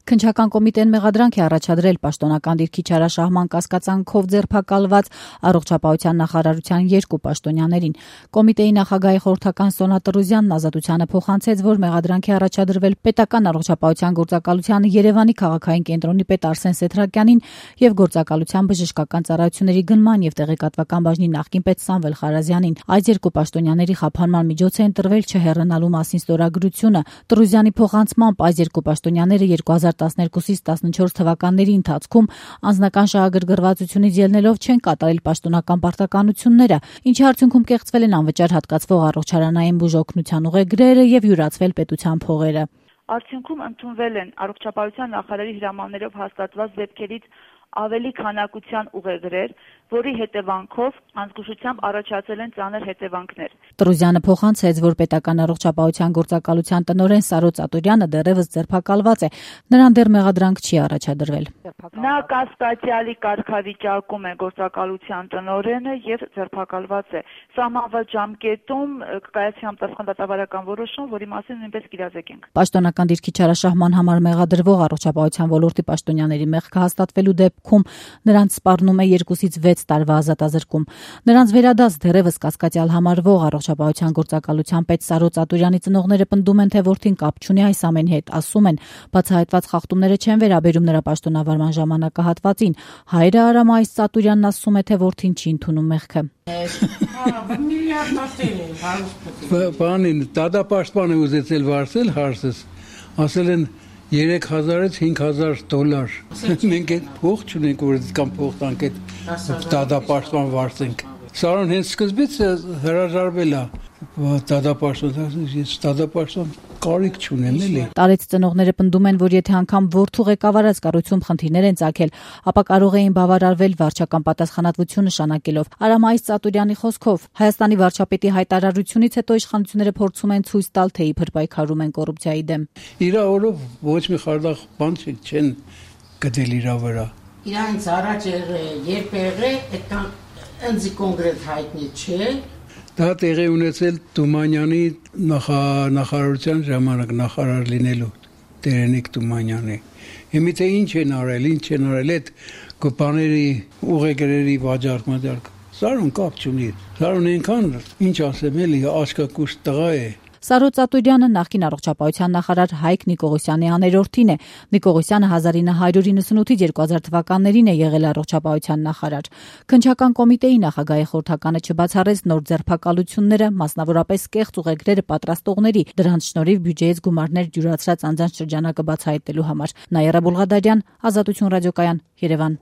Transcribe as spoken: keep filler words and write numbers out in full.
Քննչական կոմիտեն մեղադրանք է առաջադրել պաշտոնական դիրքի չարաշահման կասկածանքով ձերբակալված առողջապահության նախարարության երկու պաշտոնյաներին։ Կոմիտեի նախագահի խորհրդական Սոնա Տրուզյանն ազատությանը փոխանցեց, որ մեղադրանք է առաջադրվել պետական առողջապահության գործակալության Երևանի քաղաքային կենտրոնի պետ Արսեն Սեթրակյանին եւ գործակալության բժշկական ծառայությունների գնման եւ տեղեկատվական բաժնի նախկին պետ Սամվել Խարազյանին։ Այս երկու պաշտոնյաների խափանման միջոց է ընտրվել չհեռանալու մասին ստորագրությունը։ Տրուզյանի փոխանցմամբ այս երկու պաշտոնյաները երկու հազար տասներկուսից տասնչորս թվականների ընթացքում անձնական շահագրգռվածությունից ելնելով չեն կատարել պաշտոնական պարտականությունները, ինչի արդյունքում կեղծվել են անվճար հատկացվող առողջարանային բուժօգնության ուղեգրերը եւ յուրացվել պետության փողերը։ Արդյունքում ընդունվել են առողջապահության նախարարի հրամաններով հաստատված դեպքերից ավելի քանակության ուղեգրեր, որի հետևանքով անզգուշությամբ առաջացել են ծանր հետևանքներ։ Տրուզյանը փոխանցեց, որ պետական առողջապահության գործակալության տնօրեն Սարո Ծատուրյանը դեռևս ձերբակալված է, նրան դեռ մեղադրանք չի առաջադրվել։ Նա կասկածյալի կարգավիճակում է գործակալության տնօրենը եւ ձերբակալված է։ Սահմանված ժամկետում կկայացի համապատասխան դատավարական որոշում, որի մասին նույնպես կիրազեկենք։ Պաշտոնական դիրքի չարաշահման համար մեղադրվող առողջապահության ոլորտի պաշտոնյաների մեղքը հաստատվելու դեպքում նրանց սպառնում է երկուսից վեց տարվա ազատազրկում։ Նրանց վերադաս դեռևս կասկածյալ համարվող առողջապահության գործակալության պետ Սարո Ծատուրյանի ծնողները պնդում են, թե որդին կապ չունի այս ամենի հետ, ասում են, բացահայտված խախտումները չեն վերաբերում նրա պաշտոնավարման ժամանակահատվածին։ Հայրը Արամ այս Ծատուրյանն ասում է, թե որդին չի ընդունում մեղքը։ Բանին դատապաշտպանը ուզեցել վարձել հարցս, ասել են երեք հազարից հինգ հազար դոլար։ Մենք այդ փող չունենք, որ կամ փող տանք այդ դատապաշտպան վարձենք։ Սարոն հենց սկզբից հրաժարվել է դատապաշտպան, ես դատապաշտպան կարիք չունեմ էլի։ Տարեց ծնողները պնդում են, որ եթե անգամ որդու ղեկավարած կառույցում խնդիրներ են ծագել, ապա կարող էին բավարարվել վարչական պատասխանատվություն նշանակելով։ Արամ այս Ծատուրյանի խոսքով Հայաստանի վարչապետի հայտարարությունից հետո իշխանությունները փորձում են ցույց տալ, թե իբր պայքարում են կոռուպցիայի դեմ։ Իրա օրով ոչ մի խարդախ բան չեն գտել իրա վրա։ Իրանց առաջ երբ եղե, այդքան ընձի կոնկրետ հայտնի չէ։ Դա տեղի ունեցել Թումանյանի նախարարության ժամանակ նախարար լինելու Տերենիկ Թումանյանի։ Հիմա թե ինչ են արել, ինչ են արել այդ կոպաների ուղեգրերի վաճառք մաճառք։ Սարուն կապ չունի։ Սարուն այնքան ինչ ասեմ էլի աշկակուշ տղա է։ Սարո Ծատուրյանը նախկին առողջապահության նախարար Հայկ Նիկողոսյանի աներորդին է։ Նիկողոսյանը հազար ինը հարյուր իննսունութից երկու հազար թվականներին է եղել առողջապահության նախարար։ Քննչական կոմիտեի նախագահի խորհրդականը չբացառեց նոր ձերբակալությունները, մասնավորապես կեղծ ուղեգրերը պատրաստողների, դրանց շնորհիվ բյուջեից գումարներ յուրացրած անձանց շրջանակը բացահայտելու համար։ Նաիրա Բուլղադարյան, Ազատություն ռադիոկայան, Երևան։